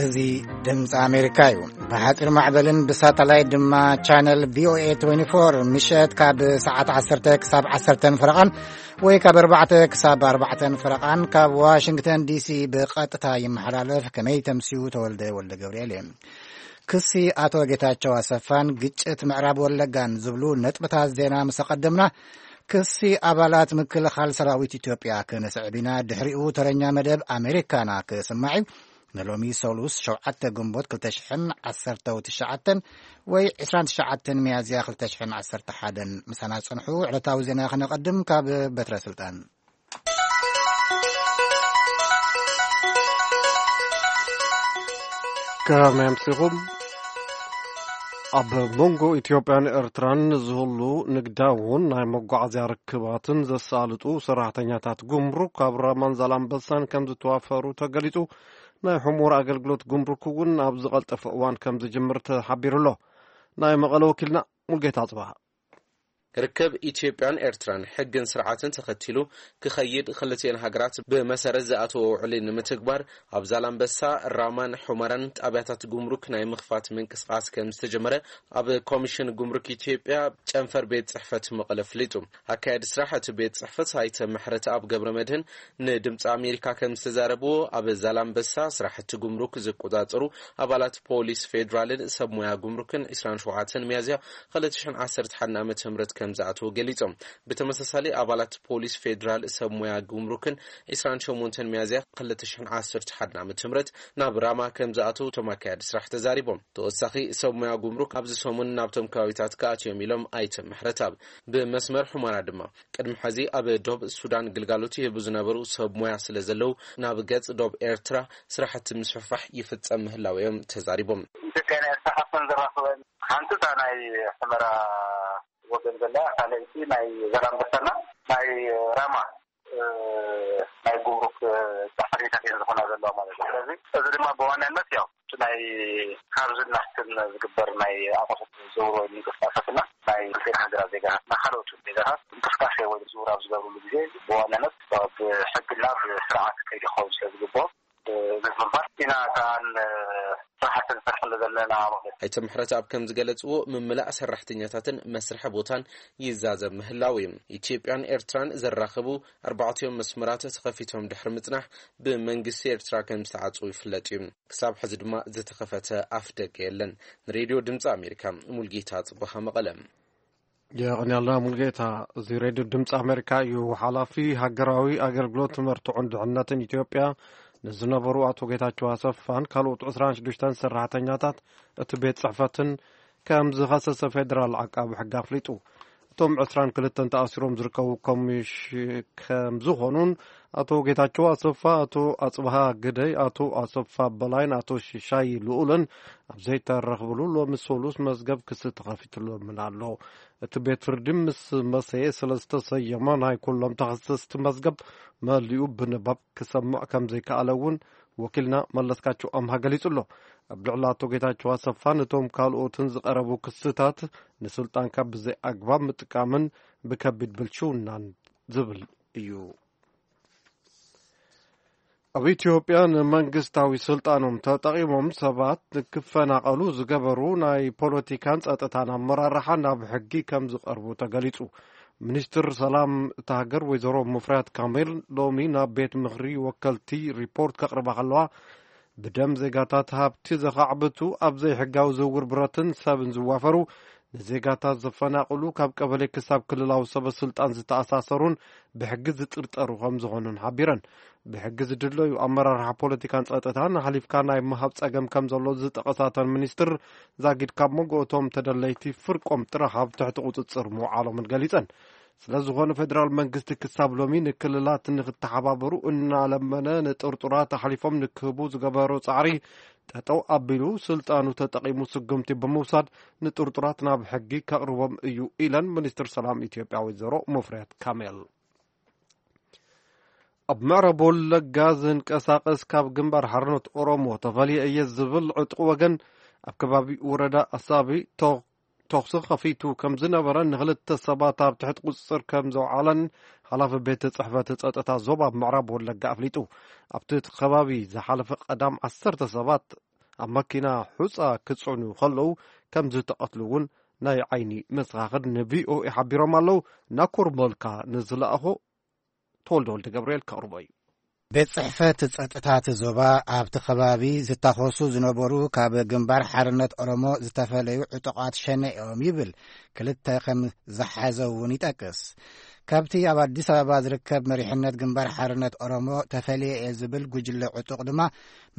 እዚ ድምፂ ኣሜሪካ እዩ። ብሓፂር ማዕበልን ብሳተላይት ድማ ቻነል ቪ ኦ ኤ ትዌንቲ ፎር፣ ምሸት ካብ ሰዓት ዓሰርተ ክሳብ ዓሰርተ ፈረቓን ወይ ካብ ኣርባዕተ ክሳብ ኣርባዕተ ፈረቓን ካብ ዋሽንግተን ዲ ሲ ብቐጥታ ይመሓላለፍ። ከመይ ተምስዩ? ተወልደ ወልደ ገብርኤል እየ። ክሲ ኣቶ ጌታቸው ኣሰፋን ግጭት ምዕራብ ወለጋን ዝብሉ ነጥብታት ዜና ምስ ኣቐደምና፣ ክሲ ኣባላት ምክልኻል ሰራዊት ኢትዮጵያ ክነስዕብ ኢና። ድሕሪኡ ተረኛ መደብ ኣሜሪካና ክስማዕ እዩ። ንሎሚ ሰሉስ ሸውዓተ ግንቦት ክልተ ሽሕን ዓሰርተ ትሽዓተን ወይ ዕስራን ትሽዓተን ሚያዝያ ክልተ ሽሕን ዓሰርተ ሓደን ምሳና ጽንሑ። ዕለታዊ ዜና ክነቐድም ካብ በትረ ስልጣን። ከመይ ኣምሲኹም? ኣብ መንጎ ኢትዮጵያን ኤርትራን ዝህሉ ንግዳውን ናይ መጓዓዝያ ርክባትን ዘሳልጡ ሰራሕተኛታት ጉምሩክ ኣብ ራማን ዛላምበሳን ከም ዝተዋፈሩ ተገሊጹ። ናይ ሑመራ ኣገልግሎት ጉምሩክ እውን ኣብ ዝቐልጠፈ እዋን ከም ዝጅምር ተሓቢሩ ኣሎ። ናይ መቐለ ወኪልና ሙልጌታ ኣጽብሃ። ርክብ ኢትዮጵያን ኤርትራን ሕግን ስርዓትን ተኸቲሉ ክኸይድ፣ ክልቲኤን ሃገራት ብመሰረት ዝኣተዎ ውዕሊ ንምትግባር ኣብ ዛላምበሳ፣ ራማን ሑመራን ጣብያታት ጉምሩክ ናይ ምኽፋት ምንቅስቓስ ከም ዝተጀመረ ኣብ ኮሚሽን ጉምሩክ ኢትዮጵያ ጨንፈር ቤት ጽሕፈት መቐለ ኣፍሊጡ። ኣካያዲ ስራሕ እቲ ቤት ጽሕፈት ኣይተ ምሕረተኣብ ገብረ መድህን ንድምፂ ኣሜሪካ ከም ዝተዛረብዎ፣ ኣብ ዛላምበሳ ስራሕቲ ጉምሩክ ዝቆጻጸሩ ኣባላት ፖሊስ ፌዴራልን ሰብ ሞያ ጉምሩክን ዕስራን ሸውዓተን ሚያዝያ ክልተ ሽሕን ዓሰርተ ሓደን ዓመተ ምህረት ከም ዝኣተዉ ገሊጾም። ብተመሳሳሊ ኣባላት ፖሊስ ፌዴራል ሰብ ሞያ ጉምሩክን ዕስራን ሸሞንተን ሚያዝያ ክልተ ሽሕን ዓሰርተ ሓደን ዓመተ ምህረት ናብ ራማ ከም ዝኣተዉ እቶም ኣካያዲ ስራሕ ተዛሪቦም። ተወሳኺ ሰብ ሞያ ጉምሩክ ኣብዚ ሰሙን ናብቶም ከባቢታት ክኣትዮም ኢሎም ኣይተ ምሕረተኣብ። ብመስመር ሑመራ ድማ ቅድሚ ሕዚ ኣብ ዶብ ሱዳን ግልጋሎት ይህቡ ዝነበሩ ሰብ ሞያ ስለ ዘለዉ፣ ናብ ገጽ ዶብ ኤርትራ ስራሕቲ ምስፍሕፋሕ ይፍጸም ምህላው እዮም ተዛሪቦም። ኢትዮጵያ ናይ ኤርትራ ሓፍተን ዘራኽበን ሓንቲ እታ ናይ ሑመራ ወገን ዘላ፣ ካልኣይቲ ናይ ዛላምበሳና ናይ ራማ፣ እ፣ ናይ ጉምሩክ፣ እ፣ ጻዕሪታት እየን ዝኾና ዘለዋ ማለት እዩ። ስለዚ እዚ ድማ ብዋናነት ያው እቲ ናይ ካብዝን ናሕትን ዝግበር ናይ ኣቑሑት ዝውውር ወይ ምንቅስቃሳትና ናይ ክልቲኤን ሃገራት ዜጋታትና ካልኦት ዜጋታት እንቅስቃሴ ወይ ዝውውር ኣብ ዝገብርሉ ግዜ ብዋናነት ብሕግና ብስርዓት ከይዲ ክኸውን ስለ ዝግብኦ፣ እ፣ እዚ ብምባል ኢና ከኣ ን-፣ ስራሕቲ ንሰርሐሉ ዘለና ማለት እዩ። ኣይተ ምሕረተኣብ ከም ዝገለጽዎ፣ ምምላእ ሰራሕተኛታትን መስርሒ ቦታን ይዛዘም ምህላው እዩ። ኢትዮጵያን ኤርትራን ዘራኽቡ ኣርባዕቲኦም መስመራት ተኸፊቶም ድሕሪ ምጽናሕ፣ ብመንግስቲ ኤርትራ ከም ዝተዓጽዉ ይፍለጥ እዩ። ክሳብ ሕዚ ድማ ዝተኸፈተ ኣፍ ደገ የለን። ንሬድዮ ድምፂ ኣሜሪካ፣ ሙልጌታ ጽቡሃ፣ መቐለ። የቐንያልና ሙልጌታ። እዚ ሬድዮ ድምፂ ኣሜሪካ እዩ። ሓላፊ ሃገራዊ ኣገልግሎት መርትዖን ድሕነትን ኢትዮጵያ ንዝነበሩ ኣቶ ጌታቸው ኣሰፋን ካልኦት ዕስራን ሽዱሽተን ሰራሕተኛታት እቲ ቤት ጽሕፈትን ከም ዝኸሰሰ ፌደራል ዓቃቢ ሕጊ ኣፍሊጡ። እቶም ዕስራን ክልተን ተኣሲሮም ዝርከቡ ኮሚሽ-፣ ከም ዝኾኑን ኣቶ ጌታቸው ኣሰፋ፣ ኣቶ ኣጽብሃ ግደይ፣ ኣቶ ኣሰፋ በላይን ኣቶ ሽሻይ ልኡልን ኣብ ዘይተረኽብሉ ሎሚ ሰሉስ መዝገብ ክሲ ተኸፊትሎምን ኣሎ። እቲ ቤት ፍርዲ ምስ መሰየ ስለ ዝተሰየመ ናይ ኩሎም ተኸሰስቲ መዝገብ መሊኡ ብንባብ ክሰምዕ ከም ዘይከኣለ እውን ወኪልና መለስካቸው ኣምሃ ገሊጹ ኣሎ። ኣብ ልዕሊ ኣቶ ጌታቸው ኣሰፋን እቶም ካልኦትን ዝቐረቡ ክስታት ንስልጣንካ ብዘይ ኣግባብ ምጥቃምን ብከቢድ ብልሽውናን ዝብል እዩ። ኣብ ኢትዮጵያ ንመንግስታዊ ስልጣኖም ተጠቒሞም ሰባት ንክፈናቐሉ ዝገበሩ ናይ ፖለቲካን ጸጥታን ኣመራርሓ ናብ ሕጊ ከም ዝቐርቡ ተገሊጹ። ሚኒስትር ሰላም እታ ሃገር ወይዘሮ ሙፍሪያት ካሚል ሎሚ ናብ ቤት ምኽሪ ወከልቲ ሪፖርት ከቕርባ ከለዋ፣ ብደም ዜጋታት ሃብቲ ዘኻዕብቱ፣ ኣብ ዘይሕጋዊ ዝውውር ብረትን ሰብን ዝዋፈሩ፣ ንዜጋታት ዘፈናቕሉ፣ ካብ ቀበሌ ክሳብ ክልላዊ ሰበ ስልጣን ዝተኣሳሰሩን ብሕጊ ዝጥርጠሩ ከም ዝኾኑን ሓቢረን። ብሕጊ ዝድለዩ ኣመራርሓ ፖለቲካን ጸጥታን ኣሕሊፍካ ናይ ምሃብ ጸገም ከም ዘሎ ዝጠቐሳተን ሚኒስትር ዛጊድ፣ ካብ መንጎ እቶም ተደለይቲ ፍርቆም ጥራሕ ኣብ ትሕቲ ቁጽጽር ምውዓሎምን ገሊጸን። ስለ ዝኾነ ፌደራል መንግስቲ ክሳብ ሎሚ ንክልላት ንክተሓባበሩ እናለመነ ንጥርጡራት ኣሕሊፎም ንክህቡ ዝገበሮ ጻዕሪ ጠጠው ኣቢሉ ስልጣኑ ተጠቒሙ ስጉምቲ ብምውሳድ ንጥርጡራት ናብ ሕጊ ከቕርቦም እዩ ኢለን ሚኒስትር ሰላም ኢትዮጵያ ወይዘሮ ሙፍሪያት ካሜል። ኣብ ምዕራብ ወለጋ ዝንቀሳቐስ ካብ ግንባር ሓርነት ኦሮሞ ተፈልየ እየ ዝብል ዕጡቕ ወገን ኣብ ከባቢ ወረዳ ኣሳቢ ቶ-፣ ተኹሲ ከፊቱ ከም ዝነበረ ንክልተ ሰባት ኣብ ትሕቲ ቁጽጽር ከም ዘውዓለን ሓላፊ ቤት ጽሕፈት ጸጥታ ዞባ ምዕራብ ወለጋ ኣፍሊጡ። ኣብቲ ከባቢ ዝሓለፈ ቀዳም ዓሰርተ ሰባት ኣብ መኪና ሑጻ ክጽዕኑ ከለዉ ከም ዝተቐትሉ እውን ናይ ዓይኒ መሰኻኽር ንቪኦኤ ሓቢሮም ኣለዉ። ናኮር መልካ ንዝለኣኾ ተወልደ ወልደ ገብርኤል ከቕርቦ እዩ። ቤት ጽሕፈት ጸጥታ እቲ ዞባ ኣብቲ ከባቢ ዝታኾሱ ዝነበሩ ካብ ግንባር ሓርነት ኦሮሞ ዝተፈለዩ ዕጡቓት ሸኔ እዮም ይብል። ክልተ ከም ዝሓዘ እውን ይጠቅስ። ካብቲ ኣብ ኣዲስ ኣበባ ዝርከብ መሪሕነት ግንባር ሓርነት ኦሮሞ ተፈልየ እየ ዝብል ጉጅለ ዕጡቕ ድማ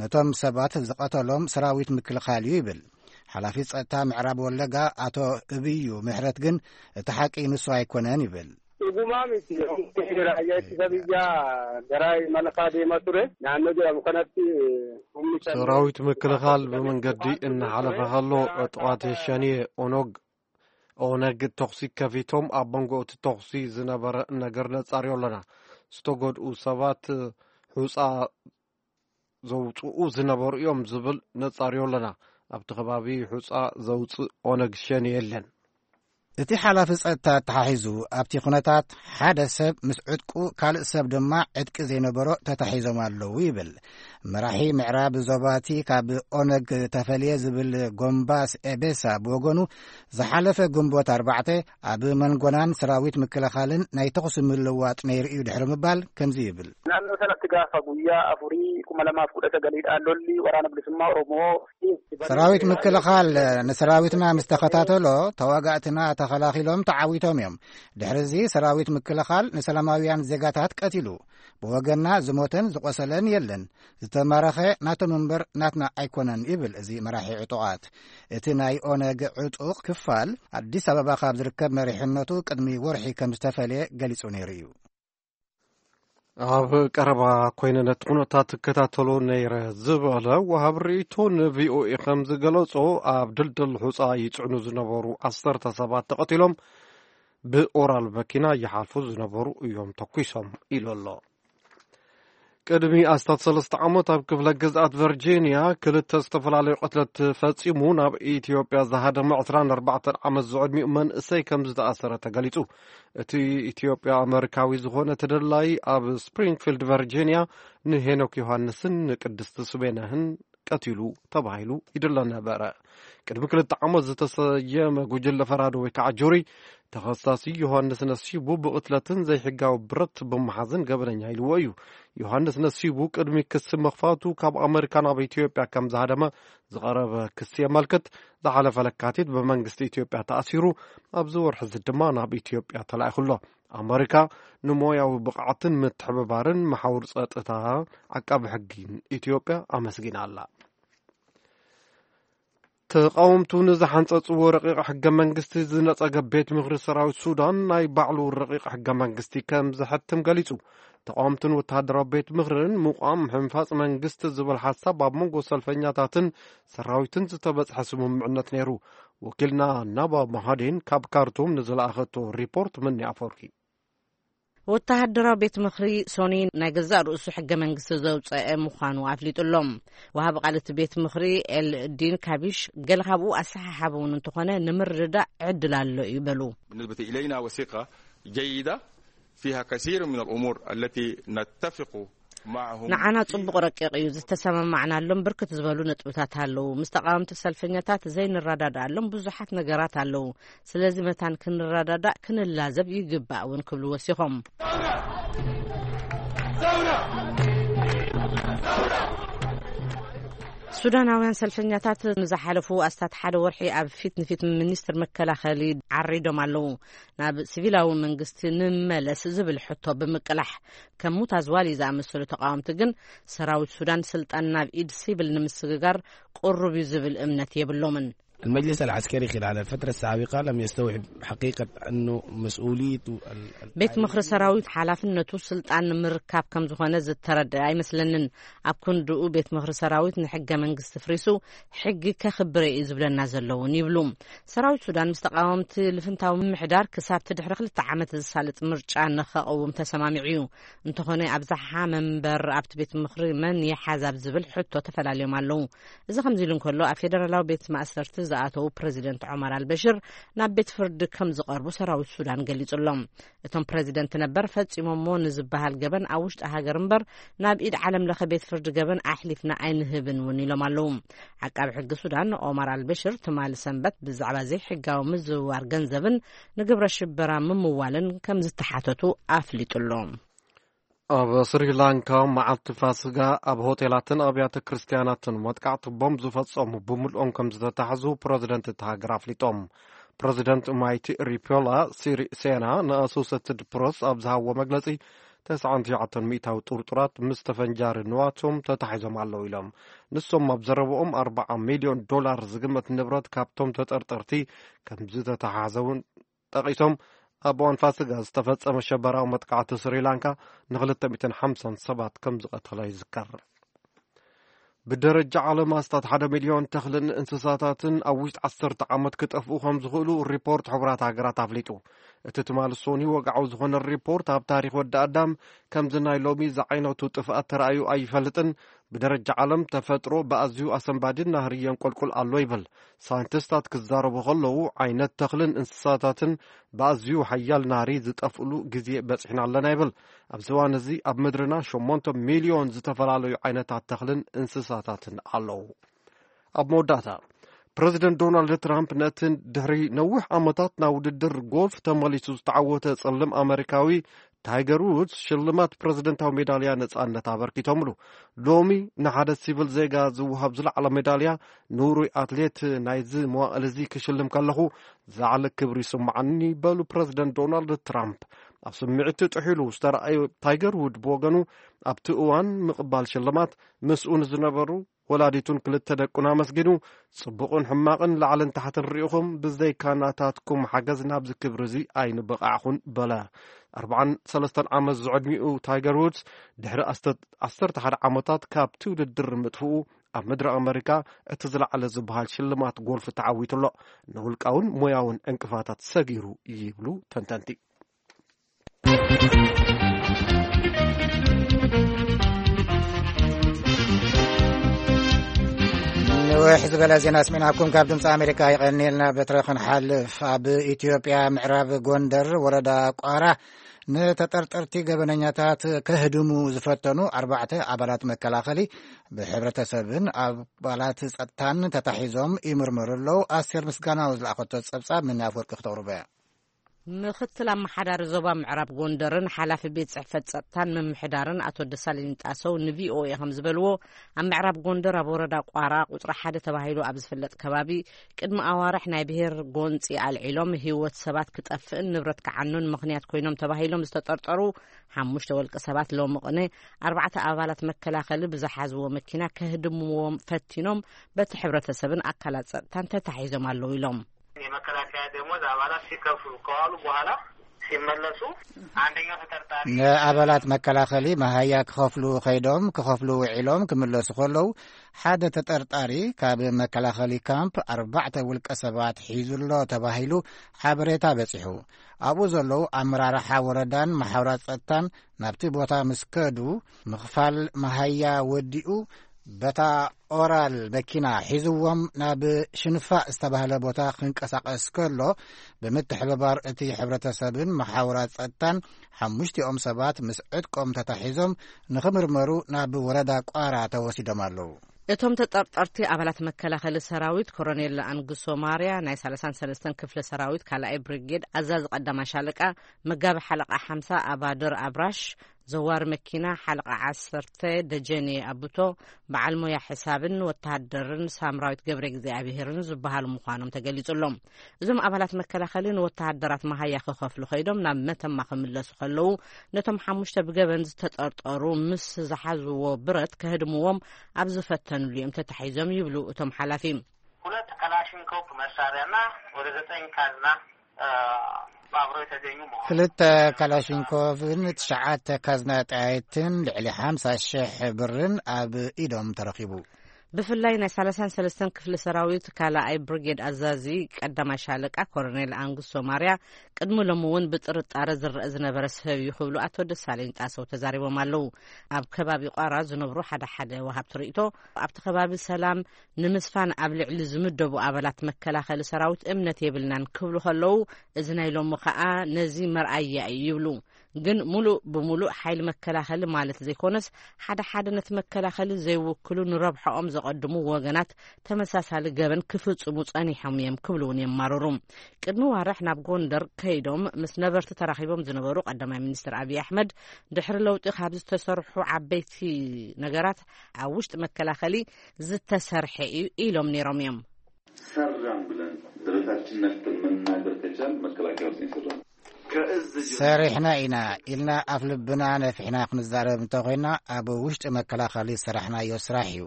ነቶም ሰባት ዝቐተሎም ሰራዊት ምክልኻል እዩ ይብል። ሓላፊ ጸጥታ ምዕራብ ወለጋ ኣቶ እብዩ ምሕረት ግን እቲ ሓቂ ንሱ ኣይኮነን ይብል። Dhugumaa miti. Raayyaa ittisa biyyaa gara imala fa'aa deemaa ture. Naannoo jedhamu kanatti humni kan ሰራዊት ምክልኻል ብመንገዲ እናሓለፈ ከሎ ዕጡቓት ሸኔ ኦነግ ኦነግ ተኹሲ ከፊቶም ኣብ መንጎ እቲ ተኹሲ ዝነበረ ነገር ነጻርዮ ኣለና። ዝተጎድኡ ሰባት ሑጻ ዘውፅኡ ዝነበሩ እዮም ዝብል ነጻርዮ ኣለና። ኣብቲ ከባቢ ሑጻ ዘውፅእ ኦነግ ሸኔ የለን። እቲ ሓላፊ ጸጥታ ኣተሓሒዙ ኣብቲ ኩነታት ሓደ ሰብ ምስ ዕጥቁ ካልእ ሰብ ድማ ዕጥቂ ዘይነበሮ ተታሒዞም ኣለዉ ይብል። መራሒ ምዕራብ ዞባቲ ካብ ኦነግ ተፈልየ ዝብል ጎምባስ ኤቤሳ ብወገኑ ዝሓለፈ ግንቦት ኣርባዕተ ኣብ መንጎናን ሰራዊት ምክልኻልን ናይ ተኹሲ ምልውዋጥ ነይሩ እዩ ድሕሪ ምባል ከምዚ ይብል። Naannoo sanatti gaafa guyyaa afurii kuma lamaaf kudha sagaliidhaan lolli waraana bilisummaa Oromoo fi ሰራዊት ምክልኻል ንሰራዊትና ምስ ተኸታተሎ ተዋጋእትና ተኸላኺሎም ተዓዊቶም እዮም። ድሕሪ እዚ ሰራዊት ምክልኻል ንሰላማውያን ዜጋታት ቀቲሉ። ብወገንና ዝሞተን ዝቖሰለን የለን። ዝተማረኸ ናቶም እምበር ናትና ኣይኮነን ይብል እዚ መራሒ ዕጡቓት። እቲ ናይ ኦነግ ዕጡቕ ክፋል ኣዲስ ኣበባ ካብ ዝርከብ መሪሕነቱ ቅድሚ ወርሒ ከም ዝተፈልየ ገሊጹ ነይሩ እዩ። ኣብ ቀረባ ኮይነ ነቲ ኩነታት እከታተሎ ነይረ ዝበለ ወሃብ ርእይቶ ንቪኦኤ ከም ዝገለጾ ኣብ ድልድል ሑጻ ይጽዕኑ ዝነበሩ ዓሰርተ ሰባት ተቐቲሎም ብኦራል መኪና ይሓልፉ ዝነበሩ እዮም ተኩሶም ኢሉ ኣሎ። ቅድሚ ኣስታት ሰለስተ ዓመት ኣብ ክፍለ ግዝኣት ቨርጂንያ ክልተ ዝተፈላለዩ ቅትለት ፈጺሙ ናብ ኢትዮጵያ ዝሃደመ ዕስራን ኣርባዕተን ዓመት ዝዕድሚኡ መንእሰይ ከም ዝተኣሰረ ተገሊጹ። እቲ ኢትዮጵያ ኣመሪካዊ ዝኾነ ተደላይ ኣብ ስፕሪንግፊልድ ቨርጂንያ ንሄኖክ ዮሃንስን ንቅድስቲ ስሜነህን ቀቲሉ ተባሂሉ ይድለ ነበረ። ቅድሚ ክልተ ዓመት ዝተሰየመ ጉጅለ ፈራዶ ወይ ከዓ ጁሪ ተኸሳሲ ዮሃንስ ነሲቡ ብቕትለትን ዘይሕጋዊ ብረት ብምሓዝን ገበነኛ ኢልዎ እዩ። ዮሃንስ ነሲቡ ቅድሚ ክሲ ምኽፋቱ ካብ ኣመሪካ ናብ ኢትዮጵያ ከም ዝሃደመ ዝቐረበ ክሲ የመልክት። ዝሓለፈ ለካቲት ብመንግስቲ ኢትዮጵያ ተኣሲሩ ኣብዚ ወርሒ እዚ ድማ ናብ ኢትዮጵያ ተላኢኹ ኣሎ። ኣመሪካ ንሞያዊ ብቕዓትን ምትሕብባርን መሓውር ጸጥታ ዓቃቢ ሕጊን ኢትዮጵያ ኣመስጊና ኣላ። ተቓወምቱ ንዝሓንጸጽዎ ረቂቕ ሕገ መንግስቲ ዝነጸገ ቤት ምኽሪ ሰራዊት ሱዳን ናይ ባዕሉ ረቂቕ ሕገ መንግስቲ ከም ዘሕትም ገሊጹ። ተቓወምትን ወተሃደራዊ ቤት ምኽርን ምቋም ሕንፋጽ መንግስቲ ዝብል ሓሳብ ኣብ መንጎ ሰልፈኛታትን ሰራዊትን ዝተበጽሐ ስምምዕነት ነይሩ። ወኪልና ናባ መሃዴን ካብ ካርቱም ንዝለኣኸቶ ሪፖርት ምኒ ኣፈወርቂ። ወተሃደራዊ ቤት ምኽሪ ሶኒ ናይ ገዛእ ርእሱ ሕገ መንግስቲ ዘውፀአ ምዃኑ ኣፍሊጡ ኣሎ። ወሃቢ ቃል እቲ ቤት ምኽሪ ኤል ዲን ካቢሽ ገለ ካብኡ ኣሰሓሓቢ እውን እንተኾነ ንምርድዳእ ዕድል ኣሎ እዩ በሉ። بالنسبة إلينا وثيقة جيدة فيها كثير من الأمور التي نتفق معهم ንዓና فيها. ጽቡቕ ረቂቕ እዩ ዝተሰማማዕናሎም ብርክት ዝበሉ ነጥብታት ኣለዉ። ምስ ተቓወምቲ ሰልፈኛታት ዘይንረዳድኣሎም ብዙሓት ነገራት ኣለዉ። ስለዚ መታን ክንረዳዳእ ክንላዘብ ይግባእ እውን ክብሉ ወሲኾም። ሱዳናውያን ሰልፈኛታት ንዝሓለፉ ኣስታት ሓደ ወርሒ ኣብ ፊት ንፊት ሚኒስትር መከላኸሊ ዓሪዶም ኣለዉ። ናብ ሲቪላዊ መንግስቲ ንመለስ ዝብል ሕቶ ብምቅላሕ ከም ሙታዝዋሊ ዝኣመሰሉ ተቃወምቲ ግን ሰራዊት ሱዳን ስልጣን ናብ ኢድ ሲቪል ንምስግጋር ቅሩብ እዩ ዝብል እምነት የብሎምን። المجلس العسكري خلال الفترة السابقة لم يستوعب حقيقة أنه مسؤوليته ال- ቤት ምኽሪ ሰራዊት ሓላፍነቱ ስልጣን ንምርካብ ከም ዝኾነ ዝተረድአ ኣይመስለንን። ኣብ ክንድኡ ቤት ምኽሪ ሰራዊት ንሕገ መንግስቲ ፍሪሱ ሕጊ ከኽብረ እዩ ዝብለና ዘለውን ይብሉ። ሰራዊት ሱዳን ምስ ተቃወምቲ ልፍንታዊ ምምሕዳር ክሳብ ድሕሪ ክልተ ዓመት ዝሳለጥ ምርጫ ንኸቐውም ተሰማሚዑ እዩ። እንተኾነ ኣብዝሓ መንበር ኣብቲ ቤት ምኽሪ መን ይሓዝ ኣብ ዝብል ሕቶ ተፈላልዮም ኣለዉ። እዚ ከምዚ ኢሉ እንከሎ ኣብ ፌደራላዊ ቤት ማእሰርቲ ዝኣተዉ ፕረዚደንት ዖማር ኣልበሽር ናብ ቤት ፍርዲ ከም ዝቐርቡ ሰራዊት ሱዳን ገሊጹ ኣሎ። እቶም ፕረዚደንት ነበር ፈጺሞሞ ንዝበሃል ገበን ኣብ ውሽጢ ሃገር እምበር ናብ ኢድ ዓለም ለኸ ቤት ፍርዲ ገበን ኣሕሊፍና ኣይንህብን እውን ኢሎም ኣለዉ። ዓቃቢ ሕጊ ሱዳን ኦማር ኣልበሽር ትማሊ ሰንበት ብዛዕባ ዘይሕጋዊ ምዝውዋር ገንዘብን ንግብረ ሽበራ ምምዋልን ከም ዝተሓተቱ ኣፍሊጡ ኣሎ። ኣብ ስሪላንካ መዓልቲ ፋስጋ ኣብ ሆቴላትን ኣብያተ ክርስትያናትን መጥቃዕቲ ቦምብ ዝፈጸሙ ብምልኦም ከም ዝተታሕዙ ፕረዚደንት እቲ ሃገር ኣፍሊጦም። ፕረዚደንት ማይቲ ሪፖላ ሲሪሴና ንኣሶሴትድ ፕረስ ኣብ ዝሃብዎ መግለጺ፣ ተስዓን ትሽዓተን ሚእታዊ ጥርጡራት ምስ ተፈንጃሪ ንዋቶም ተታሒዞም ኣለዉ ኢሎም። ንሶም ኣብ ዘረብኦም ኣርብዓ ሚልዮን ዶላር ዝግመት ንብረት ካብቶም ተጠርጠርቲ ከም ዝተታሓዘ እውን ጠቒሶም፣ ኣብ እዋን ፋስጋ ዝተፈጸመ ሸበራዊ መጥቃዕቲ ስሪላንካ ንክልተ ሚእትን ሓምሳን ሰባት ከም ዝቐተለ ይዝከር። ብደረጃ ዓለም ኣስታት ሓደ ሚልዮን ተኽልን እንስሳታትን ኣብ ውሽጢ ዓሰርተ ዓመት ክጠፍኡ ከም ዝኽእሉ ሪፖርት ሕቡራት ሃገራት ኣፍሊጡ። እቲ ትማሊ ሶኒ ወግዓዊ ዝኾነ ሪፖርት፣ ኣብ ታሪኽ ወዲ ኣዳም ከምዚ ናይ ሎሚ ዝዓይነቱ ጥፍኣት ተራእዩ ኣይፈልጥን። ብደረጃ ዓለም ተፈጥሮ ብኣዝዩ ኣሰንባዲን ናህሪ የንቆልቁል ኣሎ ይብል። ሳይንቲስታት ክዛረቡ ከለዉ ዓይነት ተኽልን እንስሳታትን ብኣዝዩ ሓያል ናህሪ ዝጠፍእሉ ግዜ በጺሕና ኣለና ይብል። ኣብዚ እዋን እዚ ኣብ ምድርና ሸሞንተ ሚልዮን ዝተፈላለዩ ዓይነታት ተኽልን እንስሳታትን ኣለዉ። ኣብ መወዳእታ፣ ፕረዚደንት ዶናልድ ትራምፕ ነቲ ድሕሪ ነዊሕ ዓመታት ናብ ውድድር ጎልፍ ተመሊሱ ዝተዓወተ ጸሊም ኣመሪካዊ ታይገር ውድስ ሽልማት ፕረዚደንታዊ ሜዳልያ ነጻነት ኣበርኪቶምሉ። ሎሚ ንሓደ ሲቪል ዜጋ ዝወሃብ ዝለዓለ ሜዳልያ ንውሩይ ኣትሌት ናይዚ መዋእል እዚ ክሽልም ከለኹ ዝለዓለ ክብሪ ይስምዓኒ፣ በሉ ፕረዚደንት ዶናልድ ትራምፕ። ኣብ ስምዒት ጥሒሉ ዝተረኣየ ታይገር ውድ ብወገኑ፣ ኣብቲ እዋን ምቕባል ሽልማት ምስኡ ንዝነበሩ ወላዲቱን ክልተ ደቁን ኣመስጊኑ፣ ጽቡቕን ሕማቕን ላዕልን ታሕትን ርኢኹም፣ ብዘይካ ናታትኩም ሓገዝ ናብዚ ክብሪ እዚ ኣይንበቓዕኹን በለ። ኣርብዓን ሰለስተን ዓመት ዝዕድሚኡ ታይገር ውድስ፣ ድሕሪ ኣስተ-፣ ዓሰርተ ሓደ ዓመታት ካብቲ ውድድር ምጥፍኡ፣ ኣብ ምድሪ ኣመሪካ እቲ ዝለዓለ ዝበሃል ሽልማት ጎልፍ ተዓዊቱ ኣሎ። ንውልቃውን ሞያውን ዕንቅፋታት ሰጊሩ ይብሉ ተንተንቲ። ንውሕ ዝበለ ዜና ስሚዕናኩም ካብ ድምፂ ኣሜሪካ። ይቐኒልና በትረ ክንሓልፍ፣ ኣብ ኢትዮጵያ ምዕራብ ጎንደር ወረዳ ቋራ ንተጠርጠርቲ ገበነኛታት ከህድሙ ዝፈተኑ ኣርባዕተ ኣባላት መከላኸሊ ብሕብረተሰብን ኣባላት ጸጥታን ተታሒዞም ይምርመሩ ኣለዉ። ኣስቴር ምስጋናው ዝለኣኸቶ ጸብጻብ ምን ኣፍወርቂ ክተቕርቦ እያ። ምኽትል ኣመሓዳሪ ዞባ ምዕራብ ጎንደርን ሓላፊ ቤት ጽሕፈት ጸጥታን ምምሕዳርን ኣቶ ደሳለኝ ጣሰው ንቪኦኤ ከም ዝበልዎ፣ ኣብ ምዕራብ ጎንደር ኣብ ወረዳ ቋራ ቁጽሪ ሓደ ተባሂሉ ኣብ ዝፍለጥ ከባቢ ቅድሚ ኣዋርሕ ናይ ብሔር ጎንጺ ኣልዒሎም ህይወት ሰባት ክጠፍእን ንብረት ክዓኑን ምኽንያት ኮይኖም ተባሂሎም ዝተጠርጠሩ ሓሙሽተ ወልቂ ሰባት ሎሚ ቅነ ኣርባዕተ ኣባላት መከላኸሊ ብዝሓዝዎ መኪና ከህድምዎም ፈቲኖም በቲ ሕብረተሰብን ኣካላት ጸጥታን ተታሒዞም ኣለዉ ኢሎም። የመከላከያ ደሞዝ ኣባላት ሲከፍሉ ከዋሉ በኋላ ሲመለሱ፣ አንደኛው ተጠርጣሪ ንኣባላት መከላኸሊ መሃያ ክኸፍሉ ከይዶም፣ ክኸፍሉ ውዒሎም ክምለሱ ከለዉ፣ ሓደ ተጠርጣሪ ካብ መከላኸሊ ካምፕ ኣርባዕተ ውልቀ ሰባት ሒዙ ኣሎ ተባሂሉ ሓበሬታ በጺሑ። ኣብኡ ዘለዉ ኣመራርሓ ወረዳን መሓውራት ጸጥታን ናብቲ ቦታ ምስ ከዱ፣ ምኽፋል መሃያ ወዲኡ፣ በታ ኦራል መኪና ሒዝዎም ናብ ሽንፋ ዝተባህለ ቦታ ክንቀሳቐስ ከሎ፣ ብምትሕብባር እቲ ሕብረተሰብን መሓውራት ጸጥታን፣ ሓሙሽቲኦም ሰባት ምስ ዕጥቆም ተታሒዞም ንኽምርመሩ ናብ ወረዳ ቋራ ተወሲዶም ኣለዉ። እቶም ተጠርጠርቲ ኣባላት መከላኸሊ ሰራዊት ኮሎኔል ኣንግሶ ማርያ ናይ ሰላሳን ሰለስተን ክፍለ ሰራዊት ካልኣይ ብሪጌድ ኣዛዚ ቀዳማይ ሻለቃ፣ መጋቢ ሓለቃ ሓምሳ ኣባድር ኣብራሽ፣ ዘዋሪ መኪና ሓለቃ ዓሰርተ ደጀኔ ኣቡቶ፣ በዓል ሞያ ሕሳብን ወተሃደርን ሳምራዊት ገብረ እግዚኣብሄርን ዝበሃሉ ምዃኖም ተገሊጹ ኣሎ። እዞም ኣባላት መከላኸሊ ንወተሃደራት መሃያ ክኸፍሉ ከይዶም ናብ መተማ ክምለሱ ከለዉ፣ ነቶም ሓሙሽተ ብገበን ዝተጠርጠሩ ምስ ዝሓዝዎ ብረት ከህድምዎም ኣብ ዝፈተኑሉ እዮም ተታሒዞም ይብሉ እቶም ሓላፊ። ሁለት ክላሽንኮቭ መሳሪያና ወደ ዘጠኝ ካዝና፣ እ፣ አብረው የተገኙ መሆኑ። ክልተ ካላሽንኮቭን ትሽዓተ ካዝና ጠያይትን ልዕሊ ሓምሳ ሽሕ ብርን ኣብ ኢዶም ተረኺቡ። ብፍላይ ናይ ሰላሳን ሰለስተን ክፍሊ ሰራዊት ካልኣይ ብሪጌድ ኣዛዚ ቀዳማይ ሻለቃ ኮሎኔል ኣንጉሶ ማርያ ቅድሚ ሎሚ እውን ብጥርጣረ ዝረአ ዝነበረ ሰብ እዩ ክብሉ ኣቶ ደሳለኝ ጣሰው ተዛሪቦም ኣለዉ። ኣብ ከባቢ ቋራ ዝነብሩ ሓደ ሓደ ወሃብቲ ርእይቶ፣ ኣብቲ ከባቢ ሰላም ንምስፋን ኣብ ልዕሊ ዝምደቡ ኣባላት መከላኸሊ ሰራዊት እምነት የብልናን ክብሉ ከለዉ፣ እዚ ናይ ሎሚ ከኣ ነዚ መርኣያ እዩ ይብሉ። ግን ሙሉእ ብሙሉእ ሓይሊ መከላኸሊ ማለት ዘይኮነስ፣ ሓደ ሓደ ነቲ መከላኸሊ ዘይውክሉ ንረብሐኦም ዘቐድሙ ወገናት ተመሳሳሊ ገበን ክፍጽሙ ጸኒሖም እዮም ክብሉ እውን የማርሩ። ቅድሚ ዋርሕ ናብ ጎንደር ከይዶም ምስ ነበርቲ ተራኺቦም ዝነበሩ ቀዳማይ ሚኒስትር ኣብይ ኣሕመድ፣ ድሕሪ ለውጢ ካብ ዝተሰርሑ ዓበይቲ ነገራት ኣብ ውሽጢ መከላኸሊ ዝተሰርሐ እዩ ኢሎም ነይሮም እዮም። ሰራን ብለን ደረታችን ነፍተን መናገር ከቻል መከላከያ ውስጥ ሰራን። ሰሪሕና ኢና ኢልና ኣፍ ልብና ነፊሕና ክንዛረብ እንተኾይና፣ ኣብ ውሽጢ መከላኸሊ ዝሰራሕናዮ ስራሕ እዩ።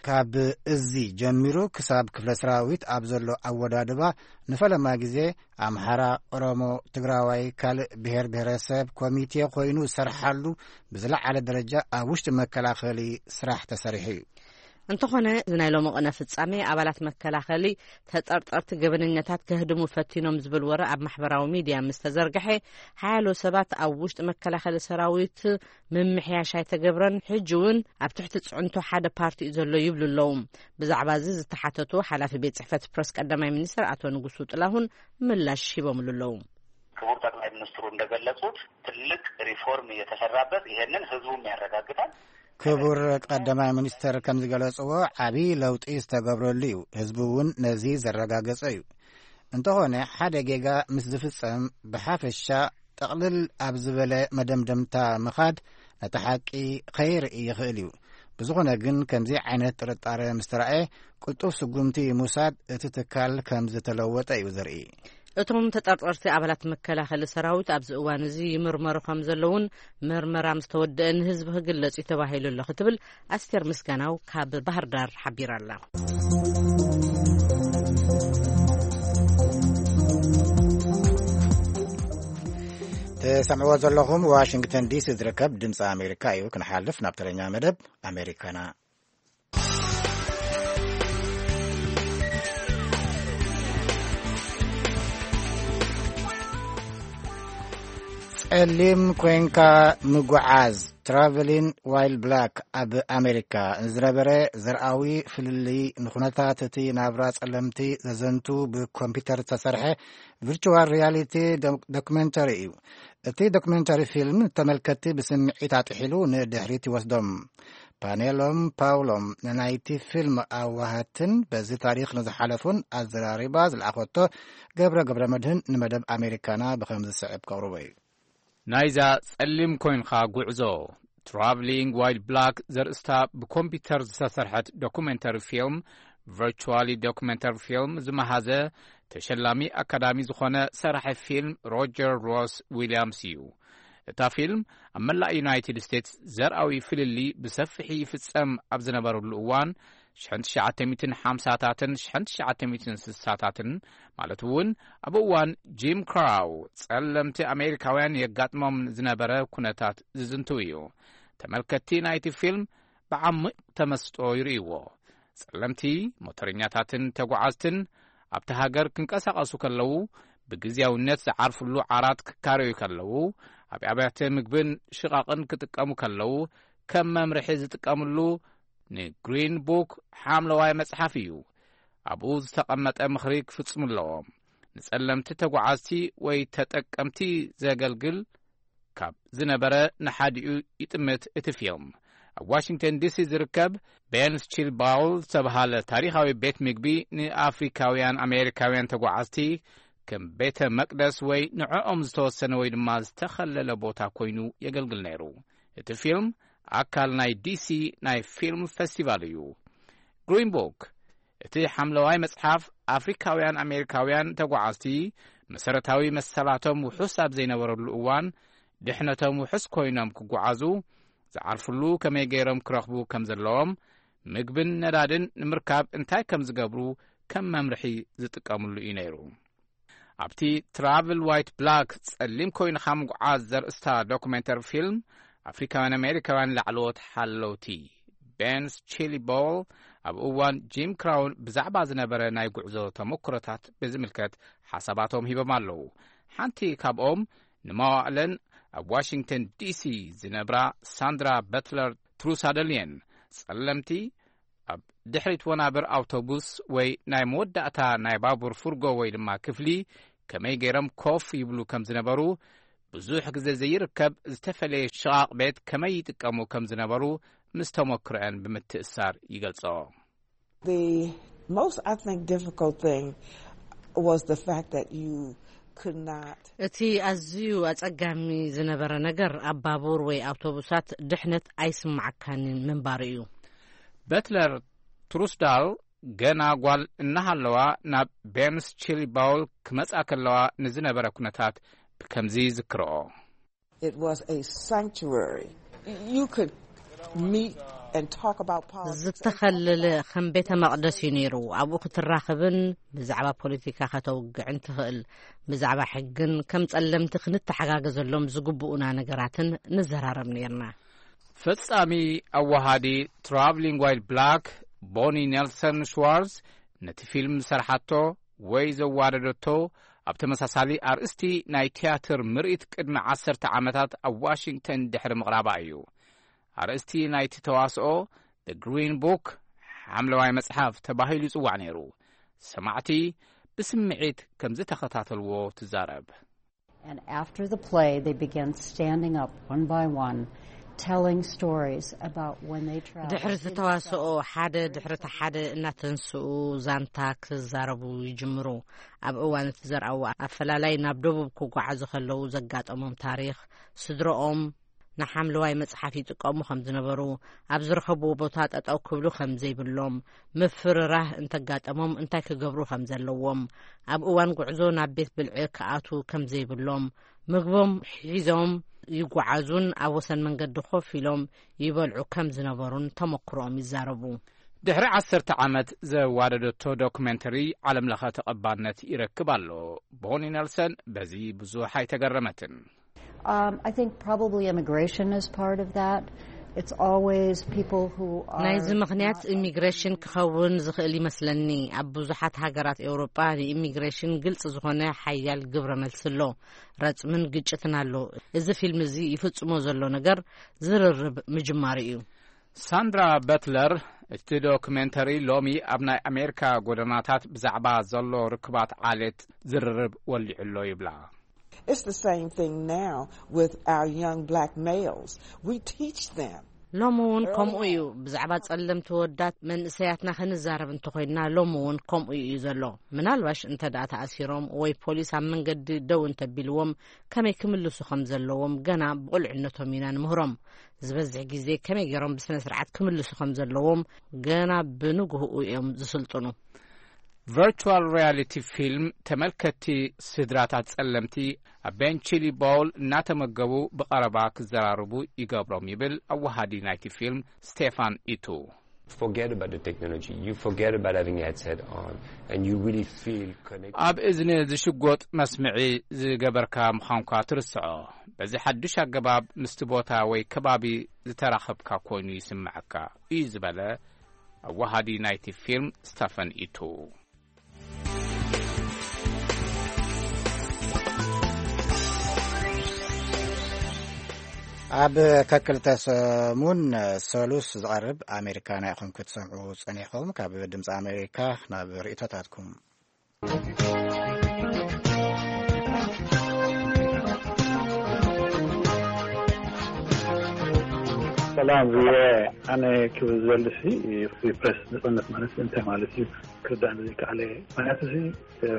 ካብ እዚ ጀሚሩ ክሳብ ክፍለ ሰራዊት ኣብ ዘሎ ኣወዳድባ፣ ንፈለማ ግዜ ኣምሓራ፣ ኦሮሞ፣ ትግራዋይ፣ ካልእ ብሔር ብሔረሰብ ኮሚቴ ኮይኑ ዝሰርሓሉ ብዝለዓለ ደረጃ ኣብ ውሽጢ መከላኸሊ ስራሕ ተሰሪሑ እዩ። እንተኾነ፣ እዚ ናይ ሎሚ ቅነ ፍጻሜ ኣባላት መከላኸሊ ተጠርጠርቲ ገበነኛታት ከህድሙ ፈቲኖም ዝብል ወረ ኣብ ማሕበራዊ ሚድያ ምስ ተዘርግሐ፣ ሓያሎ ሰባት ኣብ ውሽጢ መከላኸሊ ሰራዊት ምምሕያሽ ኣይተገብረን፣ ሕጂ እውን ኣብ ትሕቲ ጽዕንቶ ሓደ ፓርቲ እዩ ዘሎ ይብሉ ኣለዉ። ብዛዕባ እዚ ዝተሓተቱ ሓላፊ ቤት ጽሕፈት ፕረስ ቀዳማይ ሚኒስትር ኣቶ ንጉሱ ጥላሁን ምላሽ ሂቦምሉ ኣለዉ። ክቡር ጠቅላይ ሚኒስትሩ እንደገለጹት ትልቅ ሪፎርም እየተሰራበት፣ ይሄንን ህዝቡም ያረጋግጣል። ክቡር ቀዳማይ ሚኒስትር ከም ዝገለጽዎ፣ ዓቢ ለውጢ ዝተገብረሉ እዩ። ህዝቡ እውን ነዚ ዘረጋገጸ እዩ። እንተኾነ፣ ሓደ ጌጋ ምስ ዝፍጸም፣ ብሓፈሻ ጠቕልል ኣብ ዝበለ መደምደምታ ምኻድ ነቲ ሓቂ ከይርኢ ይኽእል እዩ። ብዝኾነ ግን፣ ከምዚ ዓይነት ጥርጣረ ምስ ተራእየ፣ ቅልጡፍ ስጉምቲ ምውሳድ እቲ ትካል ከም ዝተለወጠ እዩ ዘርኢ። እቶም ተጠርጠርቲ ኣባላት መከላኸሊ ሰራዊት ኣብዚ እዋን እዚ ይምርመሩ ከም ዘለውን ምርመራ ምስ ተወደአ ንህዝቢ ክግለጽ እዩ ተባሂሉ ኣሎ ክትብል ኣስቴር ምስጋናው ካብ ባህር ዳር ሓቢራ ኣላ። ትሰምዕዎ ዘለኹም ዋሽንግተን ዲሲ ዝርከብ ድምፂ ኣሜሪካ እዩ። ክንሓልፍ ናብ ተረኛ መደብ ኣሜሪካና። ጸሊም ኮንካ ምጉዓዝ፣ ትራቨሊን ዋይል ብላክ፣ ኣብ ኣሜሪካ ንዝነበረ ዘርኣዊ ፍልልይ፣ ንኹነታት እቲ ናብራ ጸለምቲ ዘዘንቱ ብኮምፒተር ዝተሰርሐ ቪርቹዋል ሪያሊቲ ዶክ-፣ ዶክመንተሪ እዩ። እቲ ዶክመንተሪ ፊልም ተመልከትቲ ብስምዒት ኣጥሒሉ ንድሕሪት ይወስዶም። ፓኔሎም ፓውሎም ንናይቲ ፊልም ኣዋሃትን በዚ ታሪኽ ንዝሓለፉን ኣዘራሪባ ዝለኣኸቶ ገብረ ገብረ መድህን ንመደብ ኣሜሪካና ብኸም ዝስዕብ ከቕርቦ እዩ። ናይዛ ጸሊም ኮይንኻ ጉዕዞ፣ ትራቭሊንግ ዋይል ብላክ ዘርእስታ ብኮምፒውተር ዝተሰርሐት ዶኩሜንተሪ ፊልም፣ ቨርቹዋሊ ዶኩሜንተሪ ፊልም ዝመሃዘ ተሸላሚ ኣካዳሚ ዝኾነ ሰራሒ ፊልም ሮጀር ሮስ ዊልያምስ እዩ። እታ ፊልም ኣብ መላእ ዩናይትድ ስቴትስ ዘርኣዊ ፍልልይ ብሰፊሒ ይፍጸም ኣብ ዝነበረሉ እዋን፣ ሽሕን ትሽዓተ ሚእትን ሓምሳታትን ሽሕን ትሽዓተ ሚእትን ስሳታትን፣ ማለት እውን ኣብ እዋን ጂም ክራው ጸለምቲ ኣሜሪካውያን የጋጥሞም ዝነበረ ኩነታት ዝዝንቱ እዩ። ተመልከትቲ ናይቲ ፊልም ብዓሚቕ ተመስጦ ይርእይዎ። ጸለምቲ ሞተረኛታትን ተጓዓዝትን ኣብቲ ሃገር ክንቀሳቐሱ ከለዉ፣ ብግዝያውነት ዝዓርፍሉ ዓራት ክካረዩ ከለዉ፣ ኣብ ኣብያተ ምግብን ሽቓቕን ክጥቀሙ ከለዉ፣ ከም መምርሒ ዝጥቀምሉ ንግሪን ቡክ ሓምለዋይ መጽሓፍ እዩ። ኣብኡ ዝተቐመጠ ምኽሪ ክፍጽሙ ኣለዎም። ንጸለምቲ ተጓዓዝቲ ወይ ተጠቀምቲ ዘገልግል ካብ ዝነበረ ንሓዲኡ ይጥምት እቲ ፊልም። ኣብ ዋሽንግተን ዲሲ ዝርከብ ቤንስ ቺል ባውል ዝተብሃለ ታሪኻዊ ቤት ምግቢ ንኣፍሪካውያን ኣሜሪካውያን ተጓዓዝቲ ከም ቤተ መቅደስ ወይ ንዕኦም ዝተወሰነ ወይ ድማ ዝተኸለለ ቦታ ኮይኑ የገልግል ነይሩ። እቲ ፊልም ኣካል ናይ ዲሲ ናይ ፊልም ፌስቲቫል እዩ። ግሪን ቡክ፣ እቲ ሓምለዋይ መጽሓፍ፣ ኣፍሪካውያን ኣሜሪካውያን ተጓዓዝቲ መሰረታዊ መሰላቶም ውሑስ ኣብ ዘይነበረሉ እዋን፣ ድሕነቶም ውሑስ ኮይኖም ክጓዓዙ፣ ዝዓርፍሉ ከመይ ገይሮም ክረኽቡ ከም ዘለዎም፣ ምግብን ነዳድን ንምርካብ እንታይ ከም ዝገብሩ ከም መምርሒ ዝጥቀምሉ እዩ ነይሩ። ኣብቲ ትራቭል ዋይት ብላክ፣ ጸሊም ኮይንኻ ምጉዓዝ ዘርእስታ ዶኩሜንተሪ ፊልም፣ ኣፍሪካውያን ኣሜሪካውያን ላዕለዎት ሓለውቲ፣ ቤንስ ቺሊ ቦል፣ ኣብ እዋን ጂም ክራውን ብዛዕባ ዝነበረ ናይ ጉዕዞ ተመክሮታት ብዝምልከት ሓሳባቶም ሂቦም ኣለዉ። ሓንቲ ካብኦም ንመዋእለን ኣብ ዋሽንግተን ዲሲ ዝነብራ ሳንድራ በትለር ትሩሳደል እየን። ጸለምቲ ኣብ ድሕሪት ወናብር ኣውቶቡስ ወይ ናይ መወዳእታ ናይ ባቡር ፍርጎ ወይ ድማ ክፍሊ ከመይ ገይሮም ኮፍ ይብሉ ከም ዝነበሩ፣ ብዙሕ ግዜ ዘይርከብ ዝተፈለየ ሽቓቕ ቤት ከመይ ይጥቀሙ ከም ዝነበሩ ምስ ተመክሮአን ብምትእሳር ይገልጾ። The most, I think, difficult thing was the fact that you could not. እቲ ኣዝዩ ኣጸጋሚ ዝነበረ ነገር ኣብ ባቡር ወይ ኣውቶቡሳት ድሕነት ኣይስማዓካንን ምንባሩ እዩ። በትለር ትሩስዳል ገና ጓል እናሃለዋ ናብ ቤንስ ቺሊ ባውል ክመጻ ከለዋ ንዝነበረ ኩነታት ብከምዚ ይዝክርኦ። It was a sanctuary. You could meet and talk about politics. ዝተኸለለ ከም ቤተ መቕደስ እዩ ነይሩ። ኣብኡ ክትራኸብን ብዛዕባ ፖለቲካ ከተውግዕን ትኽእል። ብዛዕባ ሕግን ከም ጸለምቲ ክንተሓጋገዘሎም ዝግብኡና ነገራትን ንዘራረብ ነይርና። ፈጻሚ ኣዋሃዲ ትራቭሊንግ ዋይል ብላክ ቦኒ ኔልሰን ሽዋርዝ ነቲ ፊልም ዝሰርሓቶ ወይ ዘዋደደቶ ኣብ ተመሳሳሊ ኣርእስቲ ናይ ትያትር ምርኢት ቅድሚ ዓሰርተ ዓመታት ኣብ ዋሽንግተን ድሕሪ ምቕራባ እዩ። ኣርእስቲ ናይቲ ተዋስኦ The Green Book፣ ሓምለዋይ መጽሓፍ፣ ተባሂሉ ይጽዋዕ ነይሩ። ሰማዕቲ ብስምዒት ከም ዝተኸታተልዎ ትዛረብ። And after the play, they began standing up one by one, telling stories about when they traveled. ድሕሪ እቲ ተዋስኦ ሓደ ድሕሪ እቲ ሓደ እናተንስኡ ዛንታ ክዛረቡ ይጅምሩ። ኣብ እዋን እቲ ዘርኣዎ ኣፈላላይ ናብ ደቡብ ክጓዓዙ ከለዉ ዘጋጠሞም ታሪኽ፣ ስድረኦም ንሓምለዋይ መጽሓፍ ይጥቀሙ ከም ዝነበሩ፣ ኣብ ዝረኸብዎ ቦታ ጠጠው ክብሉ ከም ዘይብሎም፣ ምፍርራህ እንተጋጠሞም እንታይ ክገብሩ ከም ዘለዎም፣ ኣብ እዋን ጉዕዞ ናብ ቤት ብልዒ ክኣትዉ ከም ዘይብሎም፣ ምግቦም ሒዞም ይጓዓዙን ኣብ ወሰን መንገዲ ኮፍ ኢሎም ይበልዑ ከም ዝነበሩን ተመክሮኦም ይዛረቡ። ድሕሪ ዓሰርተ ዓመት ዘዋደደቶ ዶኩሜንተሪ ዓለምለኸ ተቐባልነት ይረክብ ኣሎ። ቦኒ ኔልሰን በዚ ብዙሕ ኣይተገረመትን። Um, I think probably immigration is part of that. It's always people who are ናይዚ ምኽንያት not of ኢሚግሬሽን ክኸውን ዝኽእል ይመስለኒ። ኣብ ብዙሓት ሃገራት ኤውሮጳ ንኢሚግሬሽን ግልጽ ዝኾነ ሓያል ግብረ መልሲ ኣሎ። ረጽምን ግጭትን ኣሎ። እዚ ፊልም እዚ ይፍጽሞ ዘሎ ነገር ዝርርብ ምጅማሩ እዩ። ሳንድራ በትለር፣ እቲ ዶክሜንተሪ ሎሚ ኣብ ናይ ኣሜሪካ ጎደናታት ብዛዕባ ዘሎ ርክባት ዓሌት ዝርርብ ወሊዑ ኣሎ ይብላ። It's the same thing now with our young black males. We teach them. ሎሚ እውን ከምኡ እዩ። ብዛዕባ ጸለምቲ ወዳት መንእሰያትና ክንዛረብ እንተኾይንና፣ ሎሚ እውን ከምኡ እዩ ዘሎ። ምናልባሽ እንተ ደኣ ተኣሲሮም ወይ ፖሊስ ኣብ መንገዲ ደው እንተቢልዎም፣ ከመይ ክምልሱ ከም ዘለዎም ገና ብቑልዕነቶም ኢና ንምህሮም። ዝበዝሕ ግዜ ከመይ ገይሮም ብስነ ስርዓት ክምልሱ ከም ዘለዎም ገና ብንግህኡ እዮም ዝስልጥኑ። ቨርቹዋል ሪያሊቲ ፊልም ተመልከትቲ ስድራታት ጸለምቲ ኣብ ቤንቺሊ ቦል እናተመገቡ ብቐረባ ክዘራርቡ ይገብሮም ይብል ኣወሃዲ ናይቲ ፊልም ስቴፋን ኢቱ። Forget about the technology. You forget about having a headset on, and you really feel connected. ኣብ እዝኒ ዝሽጎጥ መስምዒ ዝገበርካ ምዃንኳ ትርስዖ። በዚ ሓዱሽ ኣገባብ ምስቲ ቦታ ወይ ከባቢ ዝተራኸብካ ኮይኑ ይስምዐካ እዩ ዝበለ ኣወሃዲ ናይቲ ፊልም ስታፈን ኢቱ። ኣብ ከክልተ ሰሙን ሰሉስ ዝቐርብ ኣሜሪካና ኢኹም ክትሰምዑ ጸኒሕኩም። ካብ ድምፂ ኣሜሪካ ናብ ርእቶታትኩም። ሰላም ቪኦኤ፣ ኣነ ክብል ዝደሊ ሲ ፍሪ ፕሬስ ነጻነት ማለት እንታይ ማለት እዩ ክርዳእኒ ዘይከኣለ። ምክንያቱ ሲ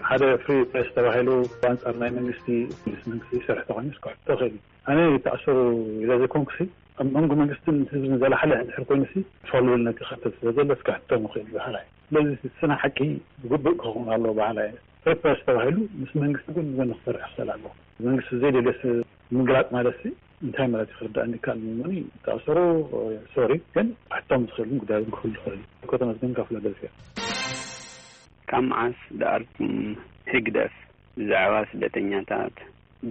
ሓደ ፍሪ ፕሬስ ተባሂሉ ብኣንጻር ናይ መንግስቲ ምስ መንግስቲ ይሰርሕ ተኮይኑ ክሕቶ ክእል እዩ። ኣነ ይተኣሰሩ ኢለ ዘይኮንኩ ሲ ኣብ መንጎ መንግስትን ህዝብን ዘላሓለ እንድሕር ኮይኑ ሲ ፋሉል ነቲ ክፍተት ስለ ዘሎ እስከ ሕቶ ምኽእል በሃላይ። ስለዚ ስና ሓቂ ብግቡእ ክኸውን ኣለዎ በሃላይ። ፍሪ ፕሬስ ተባሂሉ ምስ መንግስቲ ጎን ንጎን ክሰርሕ ክኽእል ኣለዎ። መንግስቲ ዘይደልዮስ ምግላጽ ማለት ሲ እንታይ ማለት እዩ ክርዳእኒ ይከኣል ምሞኒ። ተኣሰሩ ሶሪ፣ ግን ሕቶም ዝኽእልን ጉዳይ እውን ክህሉ ይኽእል እዩ። ከተመስገን ካብ ፊላደልፊያ። ካብ መዓስ ደኣ ኣርኩም ህግደፍ ብዛዕባ ስደተኛታት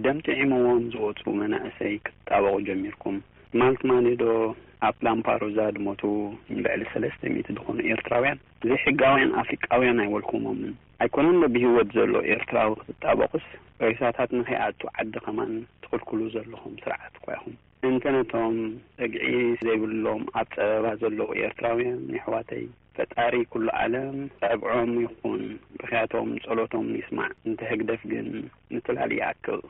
ደም ጥዒምዎም ዝወጹ መናእሰይ ክትጣበቑ ጀሚርኩም? ማልት ማኒ ዶ ኣብ ላምፓዱዛ ዝሞቱ ልዕሊ ሰለስተ ሚእቲ ዝኾኑ ኤርትራውያን ዘይሕጋውያን ኣፍሪቃውያን ኣይወልኩሞምን። ኣይኮነን ዶ ብህይወት ዘሎ ኤርትራዊ ክትጣበቑስ፣ ሬሳታት ንኸይኣቱ ዓዲ ከማን ትኽልክሉ ዘለኹም ስርዓት እኳ ኢኹም። እንተ ነቶም ጸግዒ ዘይብሎም ኣብ ጸበባ ዘለዉ ኤርትራውያን የሕዋተይ፣ ፈጣሪ ኩሉ ዓለም ዕብዖም ይኹን፣ ብኽያቶም ጸሎቶም ይስማዕ። እንተ ህግደፍ ግን ምትላል ይኣክል።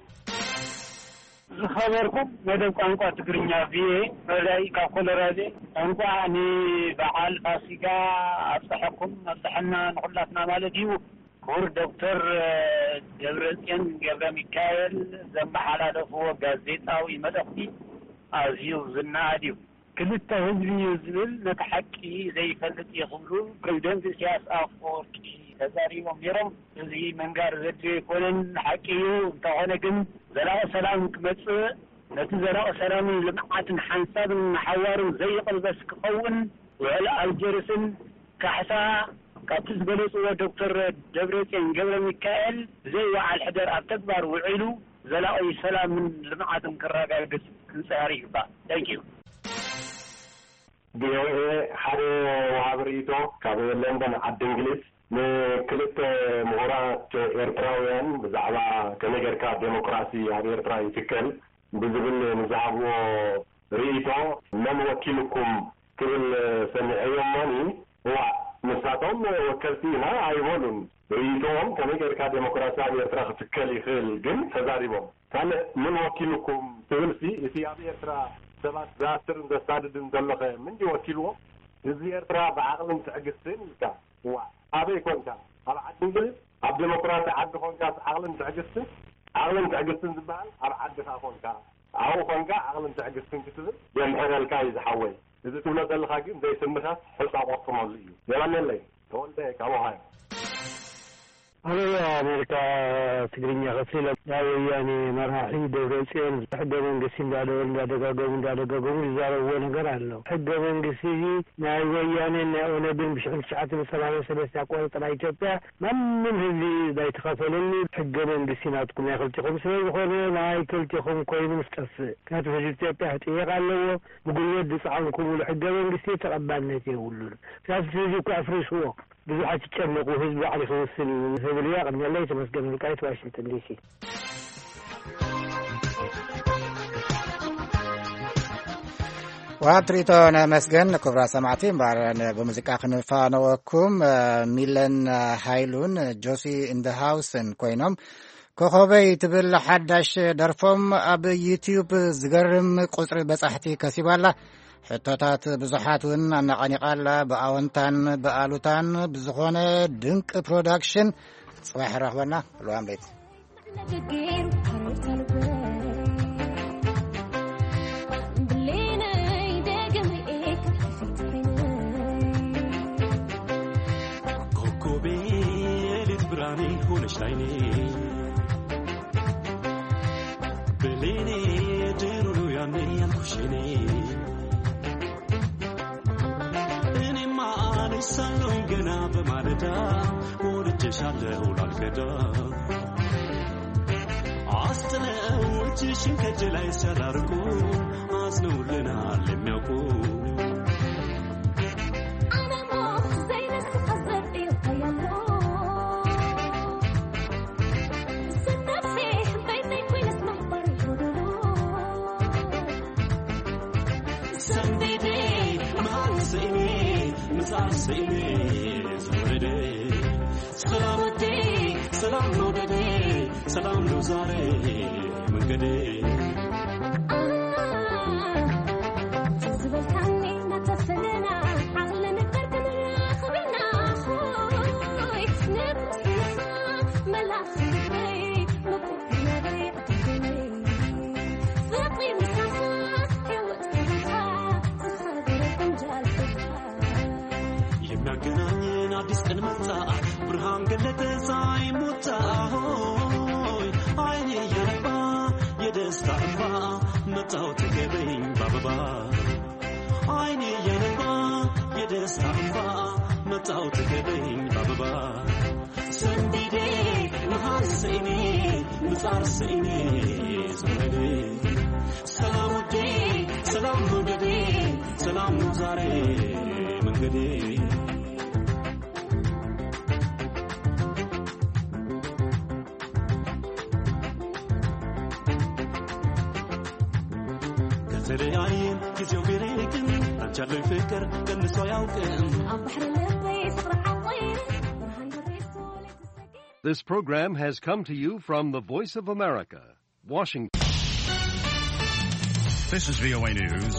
ዝኸበርኩም መደብ ቋንቋ ትግርኛ ቪኦኤ ረዳኢ ካብ ኮሎራዶ፣ እንቋዕ ንበዓል ፋሲጋ ኣብፀሐኩም ኣብፀሐና ንኹላትና ማለት እዩ። ክቡር ዶክተር ደብረፅዮን ገብረ ሚካኤል ዘመሓላለፍዎ ጋዜጣዊ መልእኽቲ ኣዝዩ ዝነኣድ እዩ። ክልተ ህዝቢ እዩ ዝብል ነቲ ሓቂ ዘይፈልጥ እዩ ክብሉ ፕሬዚደንት ኢሳያስ ኣፈወርቂ ተዛሪቦም ነይሮም። እዚ ምንጋር ዘድልዮ ኣይኮነን፣ ሓቂ እዩ። እንተኾነ ግን ዘላቂ ሰላም ክመጽእ፣ ነቲ ዘላቂ ሰላምን ልምዓትን ሓንሳብን ንሓዋሩን ዘይቕልበስ ክኸውን፣ ውዕል ኣልጀርስን ካሕሳ ካብቲ ዝበለጽዎ ዶክተር ደብረጽዮን ገብረ ሚካኤል ብዘይ ወዓል ሕደር ኣብ ተግባር ውዒሉ ዘላቂ ሰላምን ልምዓትን ክረጋግጽ ክንጽዕር ይግባእ። Thank you። ቪኦኤ ሓደ ወሃቢ ርእይቶ ካብ ለንደን ዓዲ እንግሊዝ ንክልተ ምሁራት ኤርትራውያን ብዛዕባ ከመይ ጌርካ ዴሞክራሲ ኣብ ኤርትራ ይትከል ብዝብል ንዝሃብዎ ርእይቶ መን ወኪልኩም ክብል ሰሚዐዮ እሞኒ እዋእ ንሳቶም ወከልቲ ኢና ኣይበሉን። ርእይቶኦም ከመይ ጌርካ ዴሞክራሲ ኣብ ኤርትራ ክትከል ይኽእል ግን ተዛሪቦም። ካልእ ምን ወኪልኩም ትብልሲ እቲ ኣብ ኤርትራ ሰባት ዝኣስርን ዘሳድድን ዘሎኸ ምን ድዩ ወኪልዎ? ህዝቢ ኤርትራ ብዓቕልን ትዕግስትን ኢልካ እዋ ኣበይ ኮንካ ኣብ ዓዲ እንግሊዝ ኣብ ዴሞክራሲ ዓዲ ኮንካስ ዓቕልን ትዕግስትን ዓቕልን ትዕግስትን ዝበሃል ኣብ ዓድኻ ኮንካ ኣብኡ ኮንካ ዓቕልን ትዕግስትን ክትብል የምሕረልካ እዩ ዝሓወይ። እዚ ትብሎ ዘለኻ ግን ዘይስምኸስ ሕጻ ቆርጥመሉ እዩ። የቐንየለይ። ተወልደ ካብ ኦሃዮ። ኣበይ ኣሜሪካ ትግርኛ ከፊሎም ናይ ወያኔ መራሒ ደብረፅዮን ሕገ መንግስቲ እንዳደወሉ እንዳደጋገሙ እንዳደጋገሙ ዝዛረብዎ ነገር ኣሎ። ሕገ መንግስቲ እዚ ናይ ወያኔን ናይ ኦነግን ብሽሕቲ ትሽዓተ ሚእቲ ሰማንያን ሰለስተ ኣቆፃፅራ ኢትዮጵያ ማንም ህዝቢ ናይ ተኸፈለሉ ሕገ መንግስቲ ናትኩም ናይ ክልቲኹም ስለ ዝኾነ ናይ ክልቲኹም ኮይኑ ምስ ጠፍእ ምክንያቱ ህዝቢ ኢትዮጵያ ክጥየቅ ኣለዎ። ብጉልበት ዝፀዓንኩምሉ ሕገ መንግስቲ ተቐባልነት የብሉን። ምክንያቱ ህዝቢ እኮ ኣፍሪስዎ። ብዙሓት ይጨነቁ፣ ህዝቢ ባዕሉ ክውስን እዩ ዝብል እዩ። ኣቐንየለይ። ተመስገን ወልቃይት፣ ዋሽንግተን ዲሲ። ወሃብ ትርኢቶ ነመስገን። ክቡራት ሰማዕቲ እምበኣር ብሙዚቃ ክንፋነወኩም። ሚለን ሃይሉን ጆሲ እንደ ሃውስን ኮይኖም ኮኾበይ ትብል ሓዳሽ ደርፎም ኣብ ዩትዩብ ዝገርም ቁፅሪ በፃሕቲ ከሲባላ። ሕቶታት ብዙሓት እውን ኣነቓኒቓላ ብኣወንታን ብኣሉታን ብዝኾነ ድንቂ ፕሮዳክሽን። ፅባሕ ረኽበና። ልዋም ቤት ኮኮቤ ሌት ብርሃኔ ሆነሽ ላይኔ ብሌኔ ድሮ ነው ያኔ ያልኩሽ እኔ እኔማ አነሳለሁኝ ገና በማለዳ ወድጄሻለሁ ላልከዳ አስጥለው እጅሽን ከእጄ ላይ ሲያራርቁ አዝነውልናል የሚያውቁ ሰላም ወዴ ሰላም መውደዴ ሰላም ነው ዛሬ መንገዴ የሚያገናኝን አዲስ ቀን መጣ ብርሃን ገለጠ ፀሐይ ሞታ ሆይ አይኔ እያነባ የደስታ እንባ መጣው ተገበኝ ባበባ አይኔ እያነባ የደስታ እንባ መጣው ተገበኝ ባበባ ሰንቢዴ መሃር ሰኢኔ ምጻር ሰኢኔ ዘመዴ ሰላም ወዴ ሰላም መውደዴ ሰላም ዛሬ መንገዴ ከተለያየን ጊዜው ቢርቅን አንቻለኝ ፍቅር ቀንሶ አያውቅም። ኣብ ባሕሪ ልበይ ፍቕሪ ዓንቆይኒ ብርሃን በሪስቶ ለይትሰኪ This program has come to you from the Voice of America, Washington. This is V O A News.